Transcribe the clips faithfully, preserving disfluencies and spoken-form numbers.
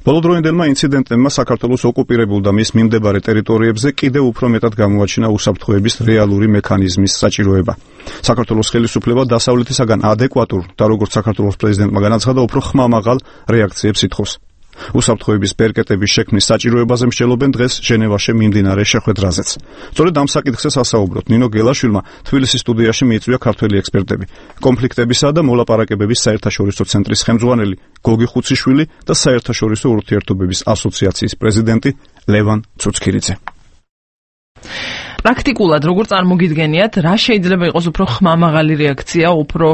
ბოლოდროინდელმა ინციდენტებმა საქართველოს ოკუპირებულ და მის მიმდებარე ტერიტორიებზე კიდევ უფრო მეტად გამოაჩინა უსაფრთხოების რეალური მექანიზმის საჭიროება. საქართველოს ხელისუფლება დასავლეთისაგან ადეკვატურ და როგორც საქართველოს პრეზიდენტმა განაცხადა, უფრო ხმამაღალ რეაქციებს ითხოვს. უსაფრთხოების ბერკეტების შექმნის საჭიროებაზე მსჯელობენ დღეს ჟენევაში მიმდინარე შეხვედრაზეც. სწორედ ამ საკითხზე სასაუბროთ ნინო გელაშვილმა თბილისის სტუდიაში მიიწვია ქართველი ექსპერტები. კონფლიქტებისა და მოლაპარაკებების საერთაშორისო ცენტრის ხელმძღვანელი გოგი ხუციშვილი და საერთაშორისო ურთიერთობების ასოციაციის პრეზიდენტი ლევან ცუცქირიძე. პრაქტიკულად როგორ წარმოგიდგენიათ, რა შეიძლება იყოს უფრო ხმამაღალი რეაქცია, უფრო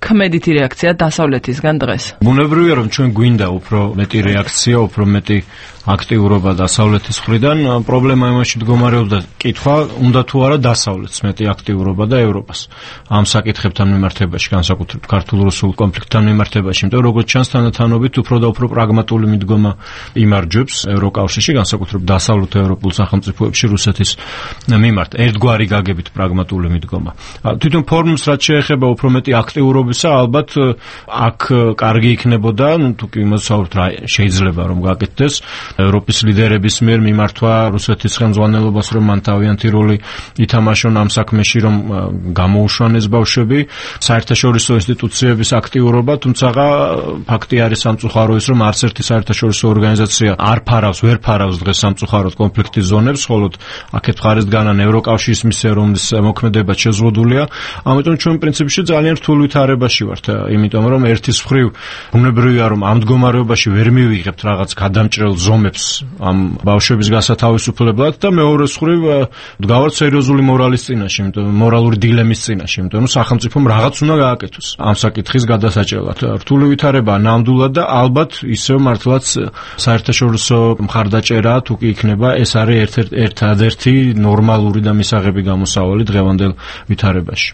ქმედითი რეაქცია დასავლეთისგან დღეს? ბუნებრივია, რომ ჩვენ გვინდა უფრო მეტი რეაქცია, უფრო მეტი აქტიურობა დასავლეთის მხრიდან. პრობლემა იმაში მდგომარეობს და კითხვა, უნდა თუ არა დასავლეთს მეტი აქტიურობა და ევროპას ამ საკითხებთან მიმართებაში, განსაკუთრებით ქართულ-რუსულ კონფლიქტთან მიმართებაში, იმიტომ რომ როგორც ჩანს თანათანობით უფრო და უფრო პრაგმატული მიდგომა იმარჯვებს ევროკავშირში, განსაკუთრებით დასავლეთ ევროპულ სახელმწიფოებში რუსეთის მიმართ. ერთგვარი გაგებით პრაგმატული მიდგომა. თვითონ ფორმს რაც შეეხება უფრო მეტი აქტიურობისა, ალბათ აქ კარგი იქნებოდა, ну თუ კი იმასაუბრთ რა შეიძლება რომ გაკეთდეს ევროპის ლიდერების მიერ მიმართვა რუსეთის ხელმძღვანელობას, რომ მან თავიანთი როლი ითამაშონ ამ საქმეში, რომ გამოუშვანეს ბავშვები, საერთაშორისო ინსტიტუციების აქტიურობა, თუმცა ფაქტი არის სამწუხარო ის, რომ არც ერთი საერთაშორისო ორგანიზაცია არ ფარავს, ვერ ფარავს დღეს სამწუხაროდ კონფლიქტის ზონებს, ხოლო აქეთ მხარეს დგანან ევროკავშირის მისია, რომლის მოქმედება შეზღუდულია. ამიტომ ჩვენ პრინციპში ძალიან რთულ ვითარებაში ვართ, იმიტომ რომ ერთის მხრივ ბუნებრივია, რომ ამ მდგომარეობაში ვერ მივიღებთ რაღაც გადამჭრელ ზომებს ამ ბავშვების გასათავისუფლებლად და მეორეს მხრივ დგავართ სერიოზული მორალის წინაშე, იმიტომ მორალური დილემის წინაშე, იმიტომ რომ სახელმწიფომ რაღაც უნდა გააკეთოს ამ საკითხის გადასაჭრელად. რთული ვითარება ნამდვილად და ალბათ ისევ მართლაც საერთაშორისო მხარდაჭერა თუ კი იქნება, ეს არის ერთ-ერთი ნორმალური და მისაღები გამოსავალი დღევანდელ ვითარებაში.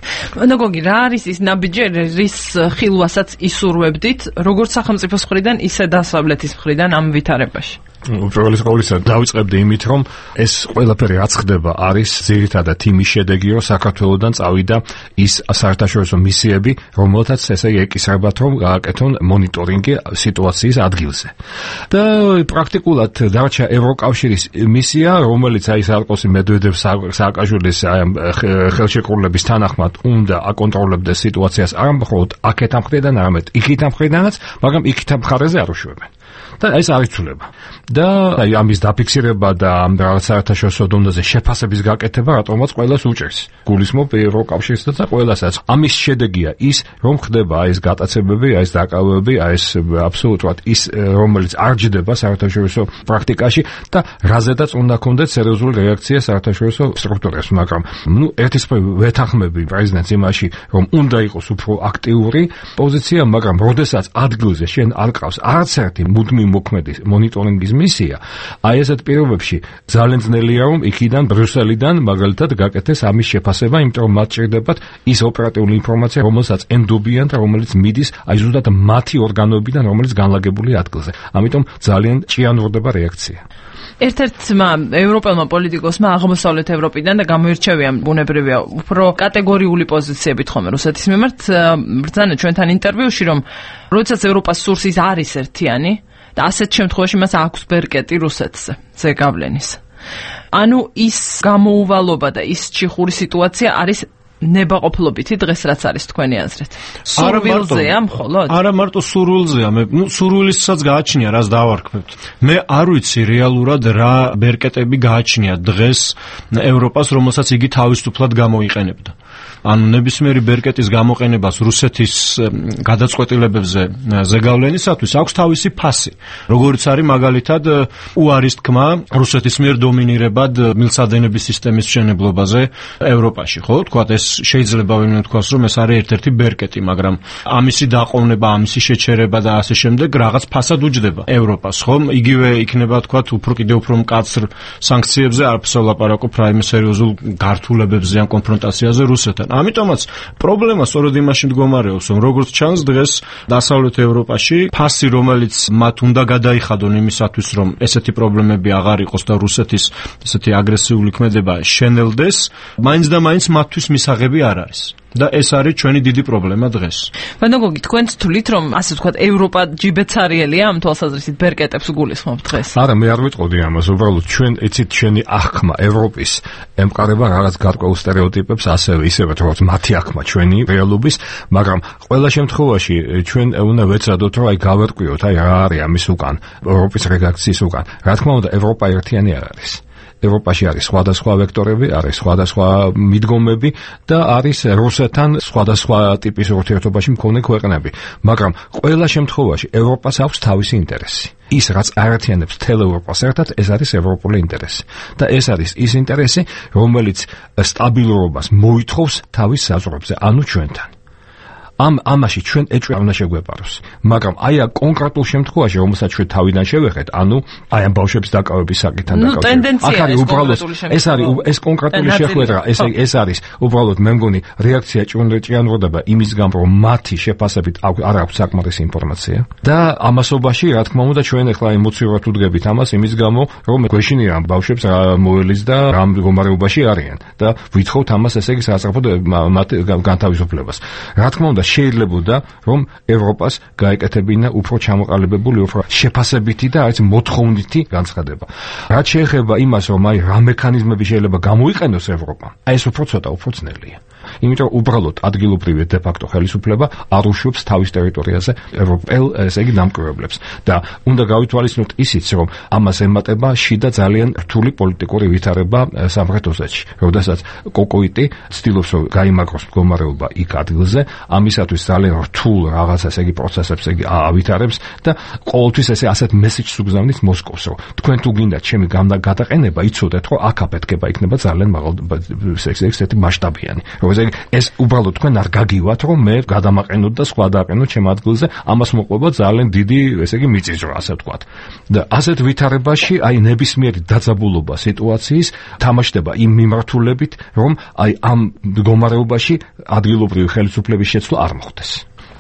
ნაგოგი, რა არის ის ნაბიჯი, რის ხილვასაც ისურვებდით, როგორც სახელმწიფოს მხრიდან, ისე დასავლეთის მხრიდან ამ ვითარებაში? უპირველეს ყოვლისა დავიწყებდი იმით, რომ ეს ყველაფერი რაც ხდება არის ძირითადად იმის შედეგი, რომ საქართველოსდან წავიდა ის საერთაშორისო მისიები, რომელთაც ესე ეკისრებათ, რომ გააკეთონ მონიტორინგი სიტუაციის ადგილზე. და პრაქტიკულად დარჩა ევროკავშირის მისია, რომელიც აი სარკოსი მედვედევ სააკაშვილის ხელშეკრულების თანახმად უნდა აკონტროლებდეს სიტუაციას არა მხოლოდ აქეთ ამ მხრიდან, არამედ იქით ამ მხრიდანაც, მაგრამ იქით ამ მხარეზე არ უშვებენ. და ეს არ იცვლება. და აი ამის დაფიქსირება და ამ რაღაც საერთაშორისო დონეზე შეფასების გაკეთება რატომაც ყველას უჭერს. გულისხმობ ევროკავშირსაც და ყველასაც. ამის შედეგია ის, რომ ხდება ეს გატაცებები, ეს დაკავებები, ეს აბსოლუტურად ის, რომელიც არ ჯდება საერთაშორისო პრაქტიკაში და რაზედაც უნდა ქონდეს სერიოზული რეაქცია საერთაშორისო სტრუქტურებს, მაგრამ ნუ ერთის მხრივ ვეთანხმები პრეზიდენტს იმაში, რომ უნდა იყოს უფრო აქტიური პოზიცია, მაგრამ როდესაც ადგილზე შენ არ ყავს არც ერთი მუდმივი მოქმედი მონიტორინგის მისია, აი ესეთ პირობებში ძალიან ძნელია, რომ იქიდან ბრიუსელიდან მაგალითად გაკეთდეს ამის შეფასება, იმიტომ რომ მათ ჭირდებათ ის ოპერატიული ინფორმაცია, რომელსაც ენდობიან და რომელიც მიდის აი ზუსტად მათი ორგანოებიდან, რომელიც განლაგებულია ადგილზე. ამიტომ ძალიან ჭიანურდება რეაქცია. ერთ-ერთმა ევროპელმა პოლიტიკოსმა აღმოსავლეთ ევროპიდან და გამოირჩევია ბუნებრივია უფრო კატეგორიული პოზიციებით ხომ რუსეთის მიმართ ბრძანა ჩვენთან ინტერვიუში, რომ როდესაც ევროპას სურს ის არის ერთიანი და ასეთ შემთხვევაში მას აქვს ბერკეტი რუსეთზე ზეგავლენის. ანუ ის გამოუვალობა და ის ჩიხური სიტუაცია არის ნებაყოფლობითი დღეს რაც არის თქვენი აზრით. სურვილზეა მხოლოდ? არა მარტო სურვილზეა, მე ნუ სურვილისაც გააჩნია, რას დავარქმევთ. მე არ ვიცი რეალურად რა ბერკეტები გააჩნია დღეს ევროპას, რომელსაც იგი თავისუფლად გამოიყენებდა. ანუ ნებისმიერი ბერკეტის გამოყენებას რუსეთის გადაწყვეტილებებზე ზეგავლენისათვის აქვს თავისი ფასი. როგორც არის მაგალითად უარის თქმა რუსეთის მიერ დომინირებად მილსადენების სისტემის მშენებლობაზე ევროპაში, ხო? თქვათ ეს შეიძლება ვინმე თქვას, რომ ეს არის ერთ-ერთი ბერკეტი, მაგრამ ამისი დაყოვნება, ამისი შეჩერება და ასე შემდეგ რაღაც ფასად უჯდება ევროპას, ხო? იგივე იქნება თქვათ უფრო კიდევ უფრო მკაცრ სანქციებზე, არაფერს ვლაპარაკობ რაიმე სერიოზულ გართულებებზე ან კონფრონტაციაზე რუსეთთან. ამიტომაც პრობლემა სწორედ იმაში მდგომარეობს, რომ როგორც ჩანს დღეს დასავლეთ ევროპაში ფასი, რომელიც მათ უნდა გადაიხადონ იმისათვის, რომ ესეთი პრობლემები აღარ იყოს და რუსეთის ესეთი აგრესიული ქმედება შენელდეს, მაინც და მაინც მათთვის მისაღები არ არის. და ეს არის ჩვენი დიდი პრობლემა დღეს. ვანდოგოგი, თქვენც თვლით, რომ ასე ვთქვათ, ევროპა ჯიბეცარიელია ამ თვალსაზრისით ბერკეტებს გულისხმობთ დღეს? არა, მე არ ვიტყოდი ამას, უბრალოდ ჩვენ იცით ჩვენი აღქმა ევროპის ემყარება რაღაც გარკვეულ სტერეოტიპებს, ასევე ისევე როგორც მათი აღქმა ჩვენი რეალობის, მაგრამ ყველა შემთხვევაში ჩვენ უნდა ვეცადოთ, რომ აი გავერკვიოთ, აი რა არის ამის უკან, ევროპის რედაქციის უკან. რა თქმა უნდა, ევროპა ერთიანი არ არის. ევროპაში არის სხვადასხვა ვექტორები, არის სხვადასხვა მიდგომები და არის რუსეთთან სხვადასხვა ტიპის ურთიერთობაში მქონე ქვეყნები, მაგრამ ყველა შემთხვევაში ევროპას აქვს თავისი ინტერესი. ის რაც აერთიანებს მთელ ევროპას ერთად, ეს არის ევროპული ინტერესი. და ეს არის ის ინტერესი, რომელიც სტაბილურობას მოითხოვს თავის საზღვრებზე, ანუ ჩვენთან. ამ ამაში ჩვენ ეჭვი არ უნდა შეგვეპაროს, მაგრამ აი ამ კონკრეტულ შემთხვევაში, რომელსაც ჩვენ თავიდან შევეხეთ, ანუ აი ამ ბავშვების დაკავების საკითხთან დაკავშირებით. აქ არის უბრალოდ ეს არის ეს კონკრეტული შეხვედრა, ეს ეს არის უბრალოდ მე მგონი რეაქცია ჭიანურდება იმის გამო, რომ მათი შეფასებით არ აქვს საკმარისი ინფორმაცია და ამასობაში, რა თქმა უნდა, ჩვენ ახლა ემოციურად უდგებით ამას იმის გამო, რომ გვეშინია ამ ბავშვებს რა მოელის და რა მდგომარეობაში არიან და ვითხოვთ ამას ესე იგი სასწრაფოდ მათ განთავისუფლებას. რა თქმა უნდა შეიძლებოდა, რომ ევროპას გაეკეთებინა უფრო ჩამოყალიბებული, უფრო შეფასებითი და არც მოთხოვნითი განცხადება. რაც შეეხება იმას, რომ აი რა მექანიზმები შეიძლება გამოიყენოს ევროპამ, აი ეს უფრო ცოტა, უფრო ძნელია. იმიტომ უბრალოდ ადგილობრივი დე ფაქტო ხელისუფლება არ უშვებს თავის ტერიტორიაზე ევროპელ, ესე იგი, დამკვირვებლებს და უნდა გავითვალისწინოთ ისიც, რომ ამას ემატება შიდა ძალიან რთული პოლიტიკური ვითარება სამხრეთ ოსეთში. როდესაც კოკოიტი ცდილობს, რომ გაიმაგროს მდგომარეობა იქ ადგილზე, ამისათვის ძალიან რთულ რაღაცას, ესე იგი, პროცესებს იგი ავითარებს და ყოველთვის ესე ასეთ მესეჯს უგზავნის მოსკოვს, რომ თქვენ თუ გინდათ ჩემი გადაყენება, იცოდეთ, რომ აქ აფეთქება იქნება ძალიან მაღალ ესეთი მასშტაბიანი. ეს უბრალოდ თქვენ არ გაგივათ, რომ მე გადამაყენოთ და სხვა დააყენოთ ჩემ ადგილზე, ამას მოყვება ძალიან დიდი, ესე იგი, მიწისძვრა, ასე ვთქვათ. და ასეთ ვითარებაში, აი ნებისმიერი დაძაბულობა სიტუაციის თამაშდება იმ მიმართულებით, რომ აი ამ მდგომარეობაში ადგილობრივი ხელისუფლების შეცვლა არ მოხდეს.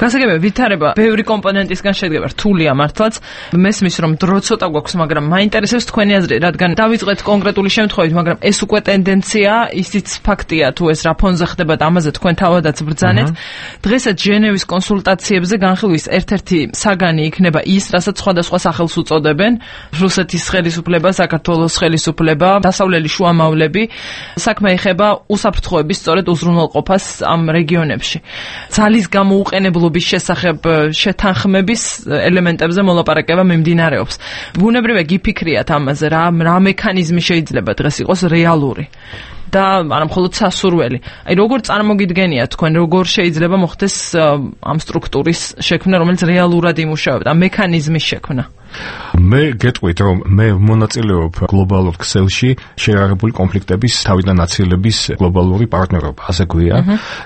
გასაგებია ვითარება ბევრი კომპონენტისგან შედგება, რთულია მართლაც. მესმის რომ დრო ცოტა გვაქვს, მაგრამ მაინტერესებს თქვენი აზრი, რადგან დავიწყეთ კონკრეტული შემთხვევით, მაგრამ ეს უკვე ტენდენცია, ისიც ფაქტია თუ ეს რა ფონზე ხდება და ამაზე თქვენ თავადაც ბრძანეთ. დღესაც ჟენევის კონსულტაციებზე განხილვის ერთ-ერთი საგანი იქნება ის, რასაც სხვადასხვა სახელს უწოდებენ: რუსეთის ხელისუფლება, საქართველოს ხელისუფლება, დასავლელი შუამავლები. საქმე ეხება უსაფრთხოების სწორედ უზრუნველყოფას ამ რეგიონებში. ძალის გამოუყენებლობის შესახებ შეთანხმების ელემენტებზე მოლაპარაკება მიმდინარეობს. ბუნებრივია გიფიქრიათ ამაზე, რა რა მექანიზმი შეიძლება დღეს იყოს რეალური და არა მხოლოდ სასურველი. აი როგორ წარმოგიდგენიათ თქვენ, როგორ შეიძლება მოხდეს ამ სტრუქტურის შექმნა, რომელიც რეალურად იმუშავებდა, ამ მექანიზმის შექმნა? მე გეტყვით, რომ მე მონაწილეობ გლობალურ ქსელში შეერაღებული კონფლიქტების თავიდან აცილების გლობალური პარტნიორობა, ასე გვია.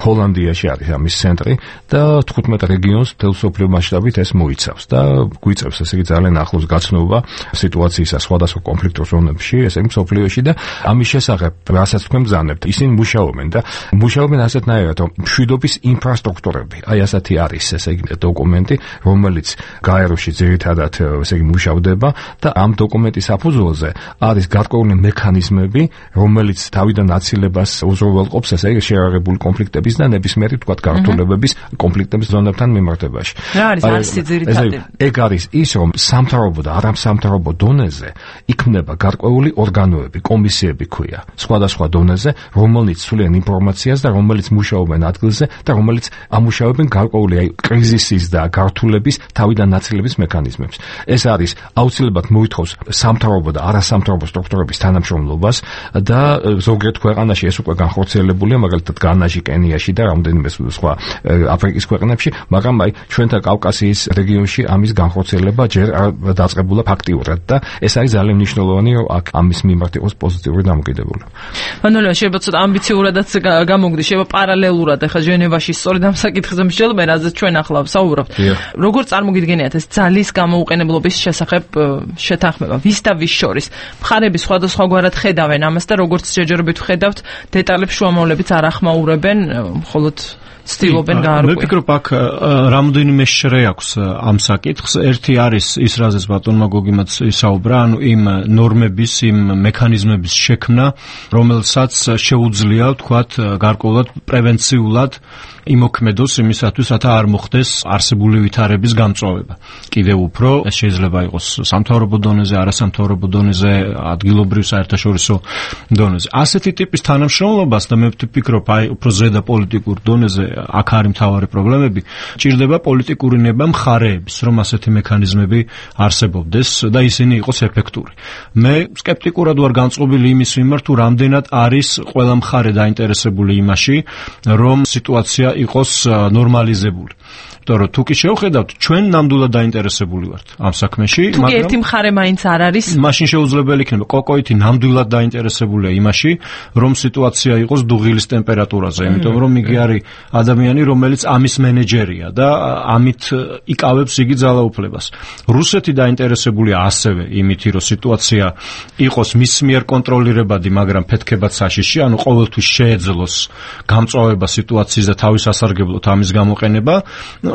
ჰოლანდიაში არის ამის ცენტრი და თხუთმეტ რეგიონს მთელ მსოფლიო მასშტაბით ეს მოიცავს და გვიწევს, ესე იგი, ძალიან ახლოს გაცნობა სიტუაციისა სხვადასხვა კონფლიქტურ ზონებში, ესე იგი, მსოფლიოში და ამის შესახებ, რასაც თქვენ ბრძანებთ, ისინი მუშაობენ და მუშაობენ ასეთნაირად, რომ მშვიდობის ინფრასტრუქტურები, აი ასეთი არის, ესე იგი, დოკუმენტი, რომელიც გაეროში ძირითადად ესე იგი მუშავდება და ამ დოკუმენტის საფუძველზე არის გარკვეული მექანიზმები, რომელიც თავიდან აცილებას უზრუნველყოფს, ესე იგი, შეერაღებული კონფლიქტების და ნებისმიერი, თქვათ, გართულებების კონფლიქტების ზონებთან მიმართებაში. რა არის არსი ძირითადი? ეგ არის ის, რომ სამთავრობო და არასამთავრობო დონეზე იქმნება გარკვეული ორგანოები, კომისიები ქვია, სხვადასხვა დონეზე, რომელიც ცვლიან ინფორმაციას და რომელიც მუშაობენ ადგილზე და რომელიც ამუშავებენ გარკვეული აი კრიზისის და გართულების თავიდან აცილების მექანიზმებს. ეს არის აუცილებლად მოითხოვს სამთავრობო და არასამთავრობო სტრუქტურების თანამშრომლობას და ზოგიერთ ქვეყანაში ეს უკვე განხორციელებულია, მაგალითად განაში, კენიაში და რამდენიმე სხვა აფრიკის ქვეყნებში, მაგრამ აი ჩვენთან კავკასიის რეგიონში ამის განხორციელება ჯერ არ დაწყებულა ფაქტიურად და ეს არის ძალიან მნიშვნელოვანი, რომ აქ ამის მიმართ იყოს პოზიტიური დამოკიდებულება. მანოლა შეიძლება ცოტა ამბიციურადაც გამოგდეს, შეიძლება პარალელურად ახლა ჟენევაში სწორედ ამ საკითხზე მსჯელობა, რაზეც ჩვენ ახლა ვსაუბრობთ. როგორ წარმოგიდგენიათ ეს ძალის გამოუყენებლობის შესახებ შეთანხმება ვის და ვის შორის? მხარები სხვადასხვაგვარად ხედავენ ამას და როგორც ჯერჯერობით ვხედავთ, დეტალებს შუამავლებიც არ ახმაურებენ, მხოლოდ ცდილობენ გაარკვიონ. მე ვფიქრობ, აქ რამდენიმე შრე აქვს ამ საკითხს. ერთი არის ის, რაზეც ბატონმა გოგიმაც ისაუბრა, ანუ იმ ნორმების, იმ მექანიზმების შექმნა, რომელსაც რაც შეუძლია ვთქვათ გარკვეულად პრევენციულად იმოქმედოს იმისათვის, რათა არ მოხდეს არსებული ვითარების გამწვავება. კიდევ უფრო ეს შეიძლება იყოს სამთავრობო დონეზე, არასამთავრობო დონეზე, ადგილობრივ საერთაშორისო დონეზე. ასეთი ტიპის თანამშრომლობას და მე ვფიქრობ, აი უფრო ზედა პოლიტიკურ დონეზე აქ არის მთავარი პრობლემები, ჭირდება პოლიტიკური ნება მხარეების, რომ ასეთი მექანიზმები არსებობდეს და ისინი იყოს ეფექტური. მე სკეპტიკურად ვარ განწყობილი იმის მიმართ, თუ რამდენად არის ყველა მხარე დაინტერესებული იმაში, რომ სიტუაცია იყოს ნორმალიზებული. იმიტომ რომ თუ კი შევხედავთ, ჩვენ ნამდვილად დაინტერესებული ვართ ამ საქმეში, მაგრამ თუ ერთი მხარე მაინც არ არის, მაშინ შეუძლებელი იქნება კოკოითი ნამდვილად დაინტერესებულია იმაში, რომ სიტუაცია იყოს დუღილის ტემპერატურაზე, იმიტომ რომ იგი არის ადამიანი, რომელიც ამის მენეჯერია და ამით იკავებს იგი ძალაუფლებას. რუსეთი დაინტერესებულია ასევე იმით, რომ სიტუაცია იყოს მის მიერ კონტროლირებადი, მაგრამ ფეთქებად საშიში, ანუ ყოველთვის შეეძლოს გამწვავება სიტუაციის და თავის ასარგებლოდ ამის გამოყენება.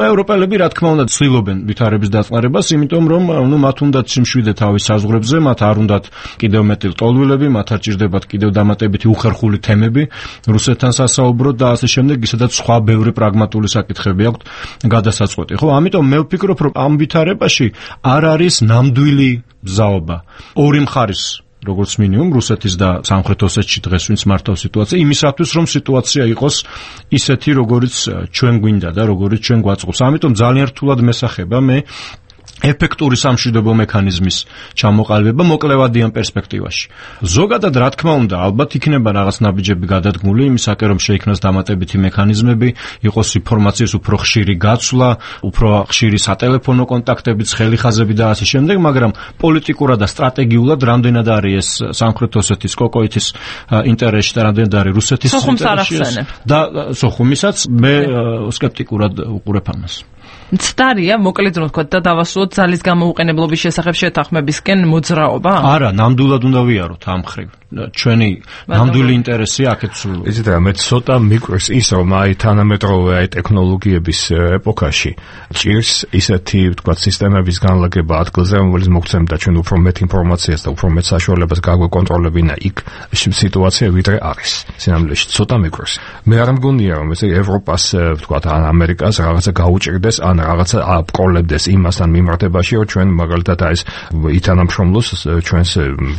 ევროპელები რა თქმა უნდა ცდილობენ ვითარების დაწყნარებას, იმიტომ რომ ნუ მათ უნდათ სიმშვიდე თავის საზღვრებზე, მათ არ უნდათ კიდევ მეტი ლტოლვილები, მათ არ ჭირდებათ კიდევ დამატებითი უხერხული თემები რუსეთთან სასაუბროდ და ასე შემდეგ, ისედაც სხვა ბევრი პრაგმატული საკითხები აქვთ გადასაწყვეტი. ხო, ამიტომ მე ვფიქრობ, რომ ამ ვითარებაში არ არის ნამდვილი მზაობა ორი მხარის, როგორც მინიმუმ რუსეთის და სამხრეთ ოსეთში დღეს ვინც მართავს სიტუაცია, იმისათვის რომ სიტუაცია იყოს ისეთი, როგორიც ჩვენ გვინდა და როგორიც ჩვენ გვაწყობს. ამიტომ ძალიან რთულად მესახება მე ეფექტური სამშვიდობო მექანიზმის ჩამოყალიბება მოკლევადიან პერსპექტივაში. ზოგადად რა თქმა უნდა, ალბათ იქნება რაღაც ნაბიჯები გადადგმული იმისაკენ, რომ შეიქმნას დამატებითი მექანიზმები, იყოს ინფორმაციის უფრო ხშირი გაცვლა, უფრო ხშირი სატელეფონო კონტაქტები, ცხელი ხაზები და ასე შემდეგ, მაგრამ პოლიტიკურად და სტრატეგიულად რამდენად არის ეს სამხრეთ ოსეთის კოკოითის ინტერესში და რამდენად არის რუსეთის ინტერესში და სოხუმისაც მე სკეპტიკურად უყურებ ამას. მცდარია, მოკლედ რომ ვთქვათ და დავასრულოთ ძალის გამოუყენებლობის შესახებ შეთანხმებისკენ მოძრაობა? არა, ნამდვილად უნდა ვიაროთ ამ ხრივ. ჩვენი ნამდვილი ინტერესი აქეთ სულ. იცით რა, მე ცოტა მიკვირს ის, რომ აი თანამედროვე აი ტექნოლოგიების ეპოქაში ჭირს ისეთი, ვთქვათ, სისტემების განლაგება ადგილზე, რომელიც მოგცემდა ჩვენ უფრო მეტ ინფორმაციას და უფრო მეტ საშუალებას გაგვეკონტროლებინა იქ სიტუაცია, ვიდრე არის. სინამდვილეში ცოტა მიკვირს. მე არ მგონია, რომ ესე ევროპას, ვთქვათ, ან ამერიკას რაღაცა გაუჭირდეს, ან რაღაცა აპყროლებდეს იმასთან მიმართებაში, რომ ჩვენ მაგალითად აი ეს ითანამშრომლოს ჩვენს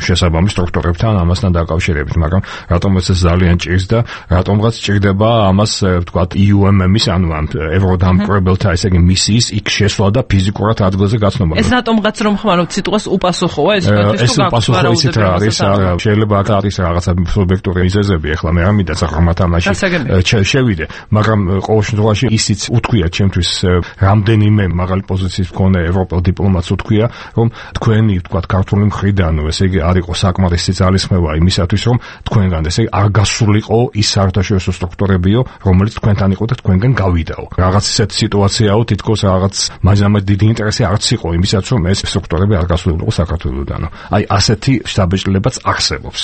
შესაბამის სტრუქტურებთან ამას დაკავშირებით, მაგრამ რატომაც ეს ძალიან ჭირს და რატომღაც ჭირდება ამას, ვთქვათ, ი იუ ემ ემ-ის, ანუ ამ ევროდამკვირვებელთა, ესე იგი მისიის იქ შესვლა და ფიზიკურად ადგილზე გაცნობა. ეს რატომღაც რომ ხმარობთ სიტყვას უპასუხოა, ეს თქვენთვის ეს უპასუხო ისეთ რა არის, შეიძლება აქ არის რაღაცა სუბიექტური მიზეზები, ახლა მე არ მინდა საყრდენ ამაში შევიდე, მაგრამ ყოველ შემთხვევაში ისიც უთქვია ჩემთვის რამდენიმე მაღალი პოზიციის მქონე ევროპელ დიპლომატს უთქვია, რომ თქვენი, ვთქვათ, ქართული მხრიდან, ესე იგი არ იყო საკმარისი ძალისხმევა იმისათვის, რომ თქვენგან ესე არ გასულიყო ის საერთაშორისო სტრუქტურებიო, რომელიც თქვენთან იყო და თქვენგან გავიდაო. რაღაც ისეთი სიტუაციაო, თითქოს რაღაც მაგამად დიდი ინტერესი არც იყო იმისაც, რომ ეს სტრუქტურები არ გასულიყო საქართველოსდანო. აი ასეთი შთაბეჭდილებაც არსებობს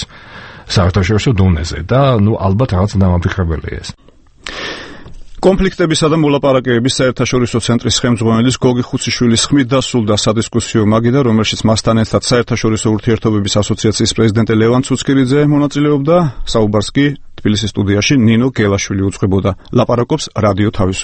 საერთაშორისო დონეზე და ნუ ალბათ რაღაც დამაფიქრებელია ეს. კონფლიქტებისა და მოლაპარაკებების საერთაშორისო ცენტრის ხელმძღვანელის გოგი ხუციშვილის ხმით დასრულდა სადისკუსიო მაგიდა, რომელშიც მასთან ერთად საერთაშორისო ურთიერთობების ასოციაციის პრეზიდენტი ლევან ცუცკირიძე მონაწილეობდა. საუბარს კი თბილისის სტუდიაში ნინო გელაშვილი უძღვებოდა. ლაპარაკობს რადიო თავისუფლება.